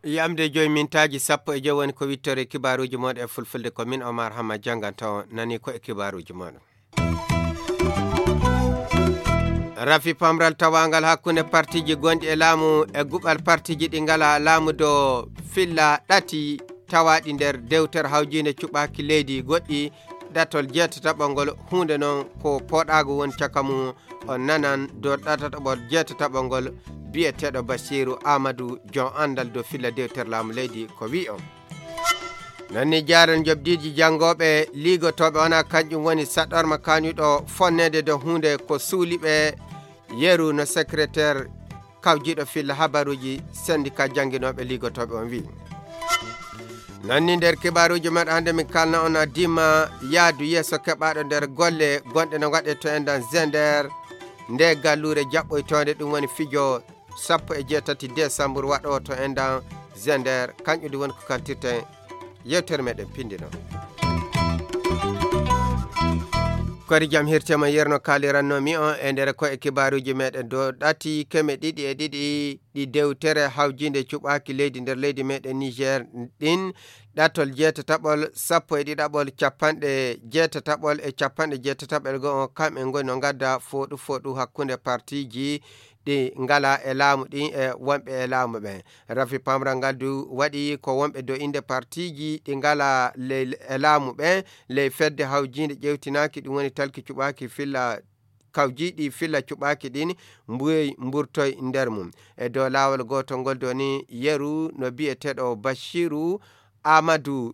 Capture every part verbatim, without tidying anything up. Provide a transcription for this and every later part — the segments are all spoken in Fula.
Yamde joyi mintaaji sappo e joyi woni ko wittore kibaaruuji mooɗon e fulfulde, ko min Omar Hamma jannganta on, nani ko e kibaaruuji mooɗon. Rafi pamral tawaangal hakkunde partiiji gonɗi e laamu e guɓal partiiji ɗi ngalaa laamu dow filla ɗati tawaaɗi nder dewtere hawjiinde cuɓaaki leydi goɗɗi ɗatol jeetataɓol ngol, huunde noon ko pooɗaago woni caka mum. On nanan dow ɗatataɓol jeetataɓol ngol biyeteeɗo Basiiru Aamadu, jom anndal dow filla dewtere laamu leydi, ko wi'i on. Noon ni jaaren jobdiiji janngooɓe liigotooɓe wona kanƴum woni saɗorma kañuɗo fonneede dow huunde ko suuliɓe yeru no secrétaire kawjiiɗo filla habaruuji syndicat jannginooɓe liigotooɓe on wi'i. Noon ni nder kibaaruuji meɗen hannde min kalna on a dimma yaadu yeeso keɓaaɗo nder golle gonɗe no waɗe to enɗan Zender, nde galluure jaɓɓoytoonde ɗum woni fijo sappo e jeetati desambur waɗo to enɗan Zender, kanƴum ɗum woni ko kaltirten yewtere meɗen pindino. Kori jam hirtema yerno kalirannomi on e nder ko e kibaaruuji meɗen dow ɗati keme ɗiɗi e ɗiɗi ɗi dewtere hawjiinde cuɓaaki leydi nder leydi meɗen Niger ɗin, ɗatol jeetataɓol sappo e ɗiɗaɓol capanɗe jeetataɓol e capanɗe jeetataɓol go on, kamɓe ngoni no ngadda fooɗu fooɗu hakkunde partiiji ɗi ngalaa e laamu ɗin e wonɓe e laamu ɓen. Rafi pamral ngal du waɗi ko wonɓe do innde partiiji ɗi ngalaa ley e laamu ɓen ley fedde hawjiinde ƴewtinaaki, ɗum woni talki cuɓaaki filla kawjiiɗi filla cuɓaaki ɗin mbuyoy mburtoy nder mum. E dow laawol gootol ngol doni yeru no biyeteeɗo Bashiru Aamadu,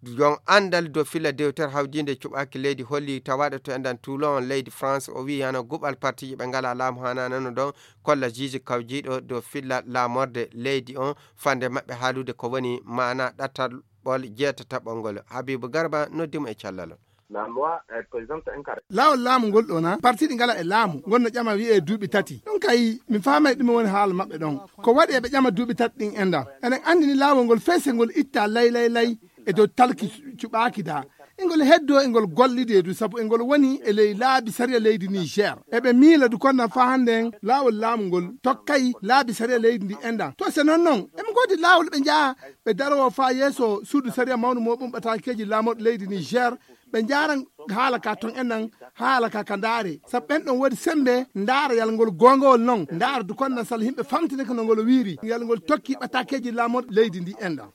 jon anndal dow filla dewtere hawjiinde cuɓaaki leydi holli tawaaɗo to enɗan Toulon leydi France, o wi'i hano guɓal partiiji ɓe ngalaa laamu haanaanano ɗon kolla juge kawjiiɗo dow filla laamorde leydi on fande maɓɓe haalude ko woni maana ɗatal ɓol jeetataɓol ngol. Habibu Garba noddi mo e callal on. La loi, euh, présente un caractère. Laawol laamu ngol ɗo na parti ɗi ngala e laamu ngon no ƴama wi'e duuɓi tati. Ɗum kay mi faamay ɗume woni haala maɓɓe ɗon. Ko waɗi eɓe ƴama duuɓi tati ɗin enɗan? Eɗen anndi ni laawol ngol fese ngol itta lay lay lay e dow talki cu- cuɓaaki da. Engol heddo engol gollide du sabu engol woni e ley laabi sariya leydi Niger. Eɓe miila du konna faa hannde en laawol laamu ngol tokkay laabi sariya leydi ndi enɗan. To se non non, eɓe ngoodi laawol ɓe njaha ɓe darowo faa yeeso suudu sariya mawnu mo ɓum ɓataakeeji laamorɗo leydi Niger, ɓe njaaran haala ka ton enɗan, haala ka ka ndaare. Sabu ɓen ɗon woodi sembe ndaara yal ngol goongowol non, ndaara du konna sal yimɓe famtini ko no ngol wiiri, yal ngol tokki ɓataakeeji laamorɗo leydi ndi enɗan.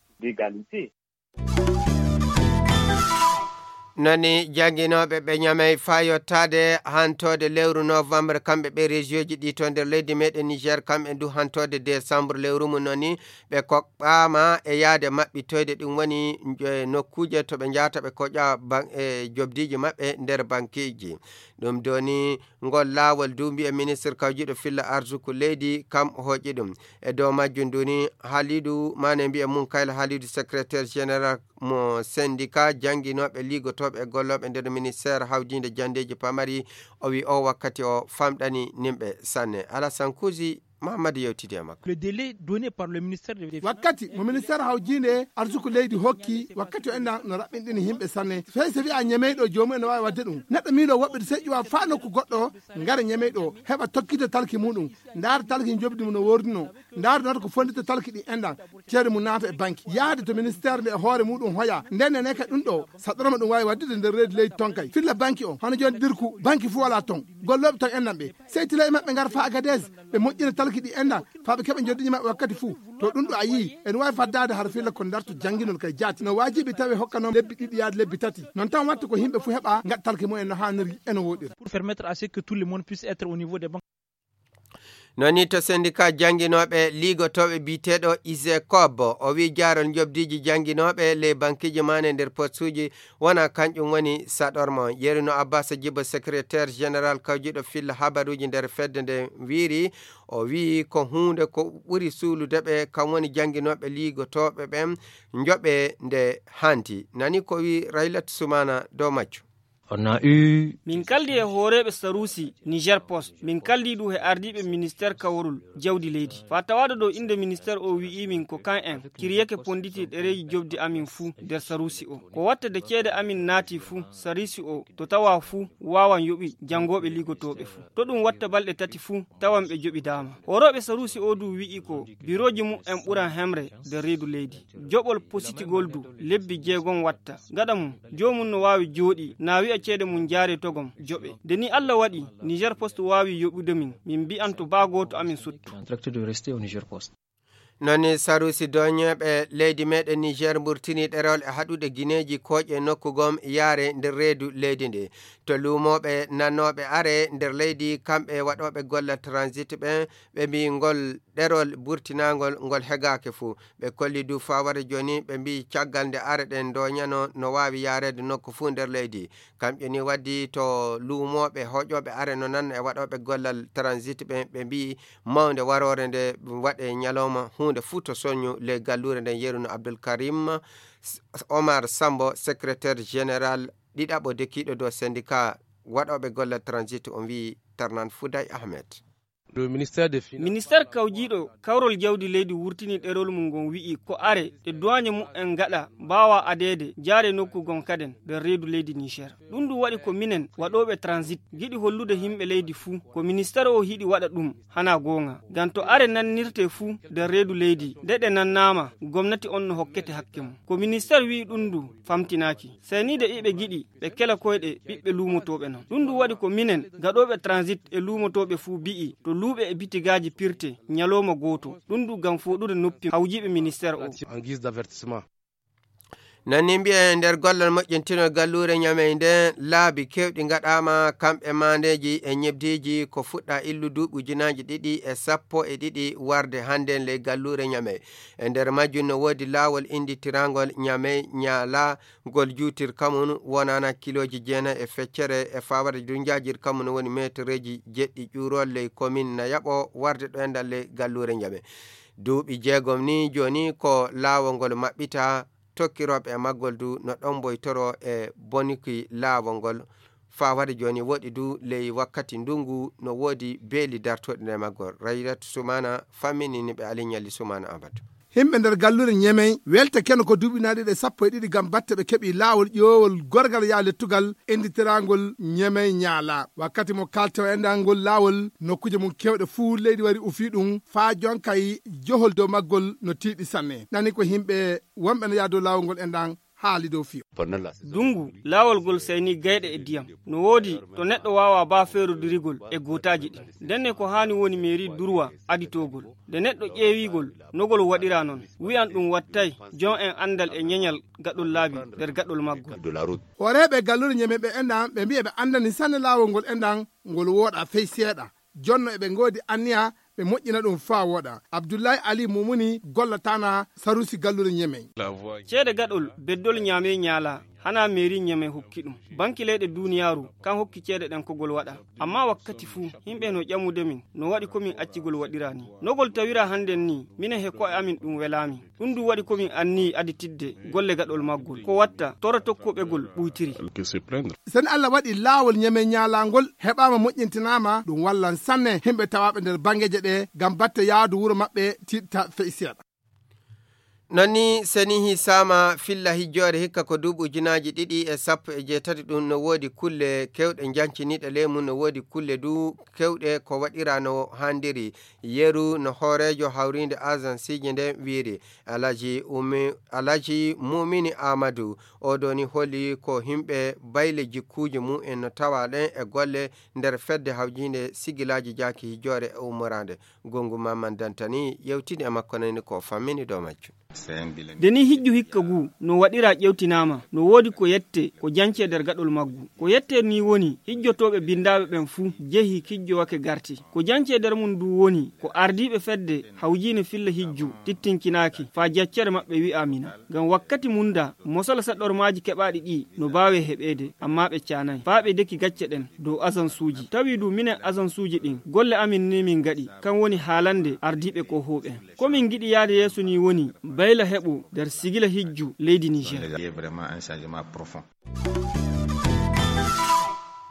Noni jannginooɓe ɓe ñamay faa yottaade hantoode lewru novembre, kamɓe ɓe région ji ɗi to nder leydi meɗen Niger, kamɓe ndu hantoode décembre lewru mum. Noni ɓe koɓɓaama e yaade maɓɓitoyde, ɗum woni njo- nokkuuje to ɓe njahata ɓe koƴa ban- e jobdiiji maɓɓe nder bankiiji. Ɗum doni ngol laawol du mbiye ministre kawjiiɗo filla arsuku leydi kam hooƴi ɗum. E dow majjum duni Halidu Mane mbiye mum kayla Halidu secrétaire général mo syndicat jannginooɓe liigotooɓe e gollooɓe nder ministère hawdiinde janndeeji pamari, o wi o wakkati o famɗani nimɓe sanne. Alasan Kuusi Mahammadu yewtidi e makko. Le délai donné par le ministère de wakkati mo ministère hawjiinde arsuku leydi hokki wakkati o enɗan no raɓɓinɗini yimɓe sanne. Fey so wi'a ñemeyɗo joomum ene waawi waɗde ɗum. Neɗɗo miilo woɓɓe de sey ƴuwa faa nokku goɗɗo ngara ñemeyɗo heɓa tokkita talki muɗum, ndaara talki jobdi mum no wordino, ndaara noota ko fondita talki ɗi enɗan, ceede mum naata e banki, yahde to ministère nde e hoore muɗum hoya. Nden nene ka ɗum ɗo saɗorma ɗum waawi waɗdude nder reedi leydi ton kay filla banki o, hono jooni dirku banki fuu walaa ton. Gollooɓe ton enɗan ɓe sey tila e maɓɓe ngara faa Agadez ɓe moƴƴina talki ɗi enɗan faa ɓe keɓa joddiiji maɓɓe wakkati fuu. To ɗum ɗo a yii ene waawi faddaade hara filla ko darto jannginol kay jaati no waajibi tawi hokkanoo lebbi ɗiɗi yaade lebbi tati. Non tan watta ko yimɓe fuu heɓa ngaɗa talki mumen no haaniri e no wooɗiri. Pour permettre à ce que tout le monde puisse être au niveau des banques. Noni to syndicat jannginooɓe liigotooɓe biyeteeɗo isecob, o wi jaarol jobdiiji jannginooɓe ley bankiiji maane nder postuuji wona kanƴum woni saɗorma on. Yeruno Abbas Jibo, secrétaire général kawjiiɗo filla habaruuji nder fedde nde wiiri, o wi ko huunde ko ɓuri suulude ɓe kam woni jannginooɓe liigotooɓe ɓen njoɓe nde hanti. Nani ko wi Raylat Sumana dow majjum. Min kaldi e hooreeɓe saruusi Niger Post, min kaldi du e ardiiɓe ministeer kawrol jawdi leydi. Faa tawaaɗo ɗo innde ministeer o wi'i min ko kan en kiriyake ponditi ɗereeji jobdi amin fuu nder saruusi o. Ko watta de ceede amin naati fuu, saruusi o to tawa fuu waawan yoɓi janngooɓe ligotooɓe fuu. To ɗum watta balɗe tati fuu, tawan ɓe joɓidaama. Horooɓe saruusi o du wi'i ko birooji mum en ɓuran hemre nder reedu leydi. Joɓol positigol du lebbi jeegom watta. Gaɗa mum, joomum no waawi jooɗi, na wi'a ceede mum jaare togom, joɓe. Nde ni Allah waɗi, Niger Post waawi yoɓude min, min mbi'an to baa gooto amin suttu. Noon ni saruusi doñeeɓe leydi meeɗen Niger mburtini ɗerewol e haɗude gineeji kooƴe nokku gom yaare nder reedu leydi ndi. To luumooɓe nannooɓe are nder leydi, kamɓe waɗooɓe gollal transit ɓen, ɓe mbii ngol ɗerol burtinaangol ngol hegaake fuu. Ɓe kolli du faa wara jooni, ɓe mbii caggal nde are ɗen doñano no waawi yaareede nokku fuu nder leydi. Kam ƴoni waddi to luumooɓe hoƴooɓe are no nanna e waɗooɓe gollal transit ɓen, ɓe mbii mawnde waroore nde waɗe ñalawma huunde fuu to soñu ley galluure nden, yeru no Abdul Karim Omar Sambo, secrétaire général ɗiɗaɓo dekiiɗo dow syndicat waɗooɓe gollal transit, on wii Tarnan Fouday Ahmed. Ministeer kawjiiɗo kawrol jawdi leydi wurtini ɗerol mum ngon wi'i ko are ɗe duwaañe mum en ngaɗa mbaawa adeede jaare nokku gon kaden nder reedu leydi Niger. Ɗum du waɗi ko minen waɗooɓe transit ngiɗi hollude himɓe leydi fuu ko ministeer o hiɗi waɗa ɗum hana goonga. Ngam to are nannirte fuu nder reedu leydi, nde ɗe nannaama, gomnati on no hokkete hakke mum. Ko ministeer wi'i ɗum du famtinaaki. Seniide iɓe ngiɗi ɓe kela koyɗe ɓiɓɓe luumotooɓe non. Ɗum du waɗi ko minen gaɗooɓe transit e luumotooɓe fuu bi'i to luuɓe e bitigaaji pirte ñalooma gooto. Ɗum du ngam fooɗude noppi hawjiiɓe ministeer o. Nani mbi'e nder gollal moƴƴintinol galluure Ñamey nden, laabi kewɗi ngaɗaama, kamɓe maandeeji e ñebdiiji ko fuɗɗa illu duuɓi ujunaaji ɗiɗi e sappo e ɗiɗi warde hannden ley galluure Ñamey. E nder majjum no woodi laawol innditirangol Ñamey Ñaala, ngol juutirka mum wonaana kilooji jeenayi e feccere e fawade du njaajirka mum no woni meetereeji jeɗɗi ƴuurol ley komin na yaɓo warde ɗo enɗan ley galluure Ñamey. Duuɓi jeegom ni jooni ko laawol ngol maɓɓita, tokkirooɓe e maggol du no ɗomboytoro e bonuki laawol ngol. Faa wade jooni woɗi du ley wakkati ndungu no woodi beeli dartooɗi nder maggol. Rayratu Sumana famminini ɓe Aliñalli Sumana Abadu. Himɓe nder galluure Ñemey welte keno ko duuɓi na ɗiɗi e sappo e ɗiɗi ngam batte ɓe keɓi laawol ƴoowol gorgal yaa lettugal innditiraangol Ñemey Ñaala. Wakkati mo kalto enɗan ngol laawol, nokkuuje mum kewɗe fuu leydi wari ufi ɗum, faa jonkay johol dow maggol no tiiɗi sanne. Nani ko himɓe wonɓe no yaha dow laawol ngol enɗan haali dow fiyo. Dungu, laawol ngol sayni gayɗe e diyam. No woodi to neɗɗo waawa baa feerodirigol e gootaaji ɗin. Ndenne ko haani woni meeri durwa aditoogol. Nde neɗɗo ƴeewigol, no ngol waɗira non. Wi'an ɗum wattay, jon en anndal e ñeñal gaɗol laabi nder gaɗol maggol. Hooreeɓe galluure Ñemey ɓe enɗan, ɓe mbi'a ɓe anndani sanne laawol ngol enɗan, ngol wooɗa fey seeɗa. Jonno eɓe ngoodi anniya ɓe moƴƴina ɗum faa wooɗa. Abdullahi Ali Mumuni gollataana saruusi galluure Ñemey. Ceede gaɗol beddol Ñamey Ñaala, hana meeri Ñamey hokki ɗum. Banki leyɗe duuniyaaru, kan hokki ceede ɗen ko gol waɗa. Amma wakkati fuu, himɓe no ƴamude min, no waɗi ko min acci gol waɗira ni. No gol tawira hannden ni, minen he ko'e amin ɗum welaa min. Ɗum du waɗi ko min anniyi aditidde golle gaɗol maggol. Ko watta, tora tokkuɓe gol ɓuytiri. Sen Allah waɗi laawol Ñemey Ñaala ngol heɓaama moƴƴintinaama, ɗum wallan sanne himɓe tawaaɓe nder banngeeje ɗe ngam batte yaadu wuro maɓɓe tiiɗta fey seeɗa. Non ni senihi saama filla hijjoore hikka ko duuɓi ujunaaji ɗiɗi e sappo e jeetati ɗum no woodi kulle kewɗe janciniiɗe ley mum, no woodi kulle du kewɗe ko waɗira no handiri. Yeru no hooreejo hawriinde agensiiji nden wiiri. Alhaji Ummi-, Alhaji Mumini Amadu, oo ɗoo ni holi ko himɓe bayle jikkuuji mum en no tawa ɗen e golle nder fedde hawjiinde sigilaaji jaaki hijjoore e ummoraande. Gongu Maman Dantani yewtini e makko nani ko fammini dow majjum. Nde ni hijju hikka ngu no waɗira ƴewtinaama, no woodi ko yette ko jancee nder gaɗol maggu. Ko yette ni woni hijjotooɓe binndaaɓe ɓen fuu jehi kijjo wake garti. Ko jancee nder mum ndu woni ko ardiiɓe fedde hawjiine filla hijju tittinkinaaki faa jaccere maɓɓe wi'aa mina. Ngam wakkati mum da, mosala saɗormaaji keɓaaɗi ɗi no baawee heɓeede, ammaa ɓe caanaay. Faa ɓe deki gacce ɗen dow asansuuji. Tawi du minen asansuuji ɗin, golle amin ni min ngaɗi, kan woni haalande ardiiɓe ko hooɓe. Ko min ngiɗi yaade yeeso ni woni bayla heɓo nder sigila hijju leydi Niger.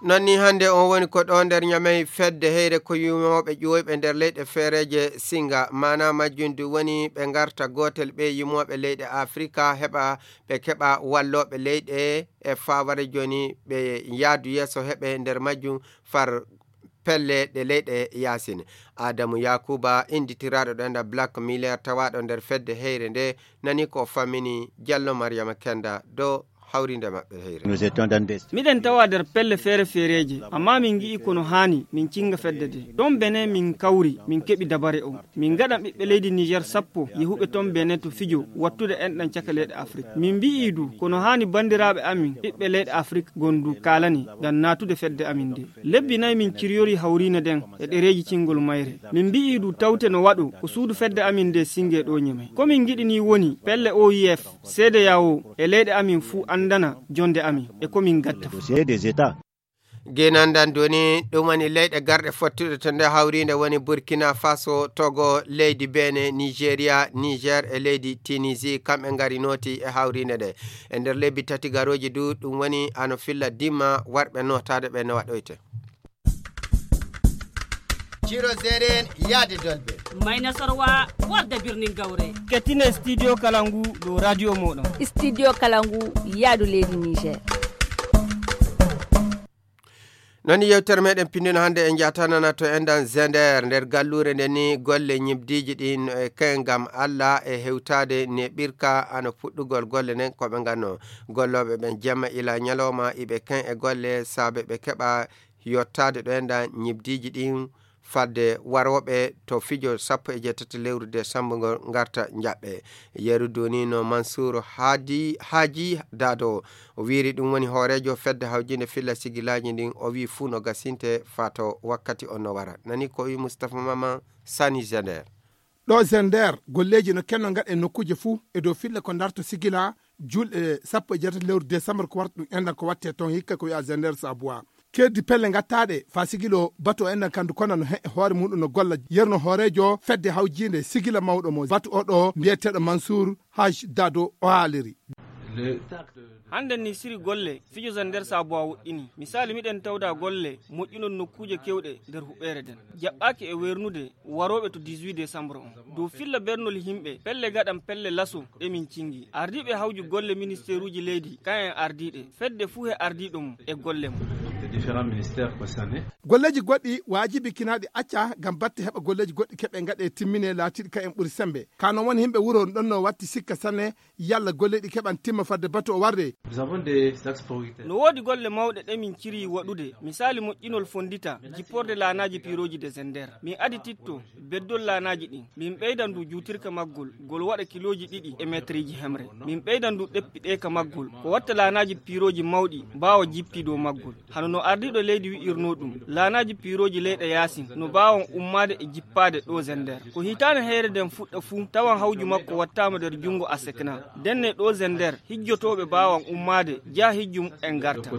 Non ni hannde on woni ko ɗo nder Ñamey fedde heyre ko yumooɓe ƴuwoyɓe nder leyɗe feereeje singa. Maana majjum du woni ɓe ngarta gootel ɓe yumooɓe leyɗe Afrika heɓa ɓe keɓa wallooɓe leyɗe e faaware jooni ɓe yaadu yeeso heɓe nder majjum far pelle ɗe leyɗe yaasin. Adamu Yakuba, innditiraaɗo ɗo enda Black Miller, tawaaɗo nder fedde heyre nde, nani ko fammini Jallo Mariama Kenda dow hawrinde maɓɓe heyre. Nous étions dans des Miɗen tawa nder pelle feere feereeje, amma min ngi'i kono haani min cinga fedde de. Ɗon Benin min kawri, min keɓi dabare o. Min ngaɗan ɓiɓɓe leydi Niger sappo yehuɓe ton Benin to fijo wattude enɗan caka leyɗe Afrik. Min mbi'i du kono haani banndiraaɓe amin ɓiɓɓe leyɗe Afrik gondu kaalani ngam naatude fedde amin nde. Lebbi nayi min ciryori hawriine nden e ɗereeji cingol mayre. Min mbi'i du tawte no waɗo ko suudu fedde amin nde singe ɗo Ñamey. Ko min ngiɗi ni woni pelle O I F, C D A O e leyɗe amin fuu anndana jonde amin e ko min ngatta fuu. Dossier des États. Genandan doni ɗum woni leyɗe garɗe fottuɗe to nde hawriinde woni Burkina Faso, Togo, leydi Benin, Nigeria, Niger e leydi Tunisie. Kamɓe ngari nooti e hawriinde nde. E nder lebbi tati garooji du ɗum woni ano filla dimma warɓe nootaade ɓe no waɗoyte. Ciro Zeren yaade dolɓe. Mayna Sorwa warda birnin Gawre. Kettine Studio Kalangu dow radio moɗon. Studio Kalangu yaadu leydi Niger. Non yewtere meɗen pindino hannde en jatanana to endan Zender nder galluure nde ni golle ñibdiiji ɗin e kay ngam Alla e hewtaade neɓirka ano fuɗɗugol golle nden ko ɓe nganno. Gollooɓe ɓen jemma ila ñalawma iɓe kay e golle saabe ɓe keɓa yottaade ɗo endan ñibdiiji ɗin fadde warooɓe to fijo sappo e jeetati lewru desambur ngol ngarta njaɓɓe. Yeru duni no Mansour Hadi, Haji Dado. O wiiri ɗum woni hooreejo fedde hawjinde filla sigilaaji ndin. O wii fuu no gasinte faa to wakkati on no wara. Nani ko wii Mustapha Mama Sani Zender. Ɗo Zender, golleeji no kenno ngaɗe nokkuuje fuu e dow filla ko ndarto sigila julɗe sappo e jeetati lewru desambur ko warta ɗum endan ko watte toon hikka ko wi'a Zender Sabuwa. Keddi pelle ngattaaɗe faa sigilo batu o endan kandu kona no he hoore muɗum no golla yerno hooreejo fedde hawjiinde sigila mawɗo mo batu o ɗo mbiyeteeɗo Mansour Haj Dado o haaliri. Hannde ni siri golle fijo Zender Sabuwa woɗɗini. Misaali miɗen tawda golle moƴƴunol nokkuuje kewɗe nder huɓeere nden. Jaɓɓaaki e wernude warooɓe to dix-huit décembre on. Dow filla bernol yimɓe, pelle gaɗan pelle laso ɗe min cingi. Ardiiɓe hawju golle ministeeruuji leydi, kayen ardiiɗe. Fedde fuu he ardiiɗo mum e golle mum. Golleeji goɗɗi waajibikinaaɗi acca ngam batte heɓa golleeji goɗɗi keɓe ngaɗe timmine laatiiɗi kayen ɓuri sembe. Ka non woni yimɓe wuro on ɗon no watti sikka sanne yalla golle ɗi keɓan timma fadde batu o warde. No woodi golle mawɗe ɗe min ciri waɗude, misaali moƴƴinol fondita, jipporde laanaaji piirooji de Zender. Min adititto beddol laanaaji ɗin. Min ɓeydan du juutirka maggol, gol waɗa kilooji ɗiɗi e meetriiji hemre. Min ɓeydan du ɗeppi ɗe ka maggol, ko watta laanaaji piirooji mawɗi mbaawa jippi dow maggol. Hano no ardiiɗo leydi wi'irnoo ɗum, laanaaji piirooji leyɗe yaasin no mbaawan ummaade e jippaade ɗo Zender. Ko hitaande heyre nden fuɗɗa fuu, tawan hawju makko wattaama nder junngo Asekna. Ndenne ɗo Zender, hijjotooɓe mbaawan ummaade, njaha hijju muɓɓen ngarta.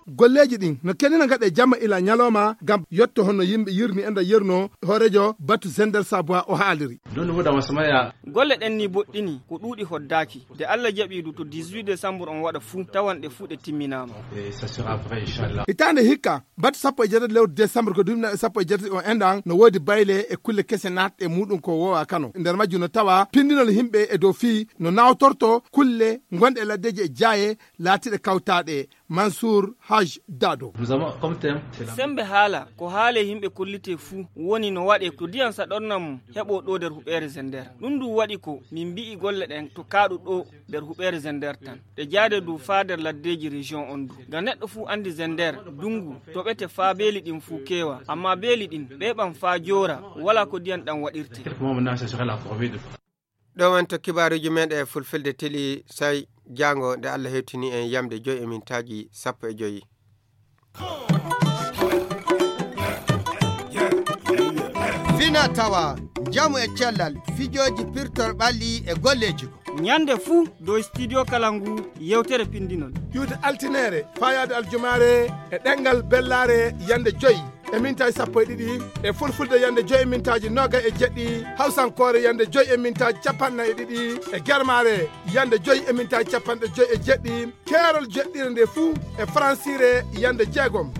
Golleeji ɗin no kenina ngaɗe jamma ila ñalawma ngam yotto honno yimɓe yirni enda yirno hooreejo batu Zender Sabuwa o haaliri. Golle ɗen ni boɗɗini, ko ɗuuɗi hoddaaki. Nde Allah jaɓi du to dix-huit décembre on waɗa fuu, tawan ɗe fuu ɗe timminaama. Hitaande hikka, batu sappo e jeetati lewru décembre ko duuɓi sappo e jeetati on enɗan, no woodi bayle e kulle kese naatɗe muɗum ko wowa Kano. Nder majjum no tawa pindinol yimɓe e dow fii no nawtorto kulle gonɗe laddeeji e jaaye laatiiɗe kawtaaɗe. Mansour Haj Dado. Sembe haala, ko haale yimɓe kollite fuu woni no waɗe to diyan saɗornan mum heɓo ɗo nder huɓeere Zender. Ɗum ndu waɗi ko min mbi'i golle ɗen to kaaɗu ɗo nder huɓeere Zender tan. Ɗe jaade du faa nder laddeeji région on du. Ngam neɗɗo fuu andi Zender, dungu, toɓete faa beeli ɗin fuu keewa. Amma beeli ɗin, ɓeeɓan faa joora, wala ko diyan ɗan waɗirte. Ɗo wonto kibaaruuji meɗen e fulfulde tili, say jaango nde Allah hewtini en yamde joyi e mintaaji sappo e joyi. Fina tawa, njamu e cellal, fijooji pirtor ɓalli e golleeji ko. Ñande fuu dow studio kala ngu yewtere pindinol. Ƴuwde altineere, faayaade aljumaare e ɗemngal bellaare yande joyi. e mintaaji sappo e ɗiɗi, e fulfulde yande joyi e mintaaji noga e jeɗɗi, hawsankoore yande joyi e mintaaji capanɗe e ɗiɗi, e germaare yande joyi e mintaaji capanɗe joyi e jeɗɗi, keerol jeɗɗire nde fuu e faransiire yande jeegom.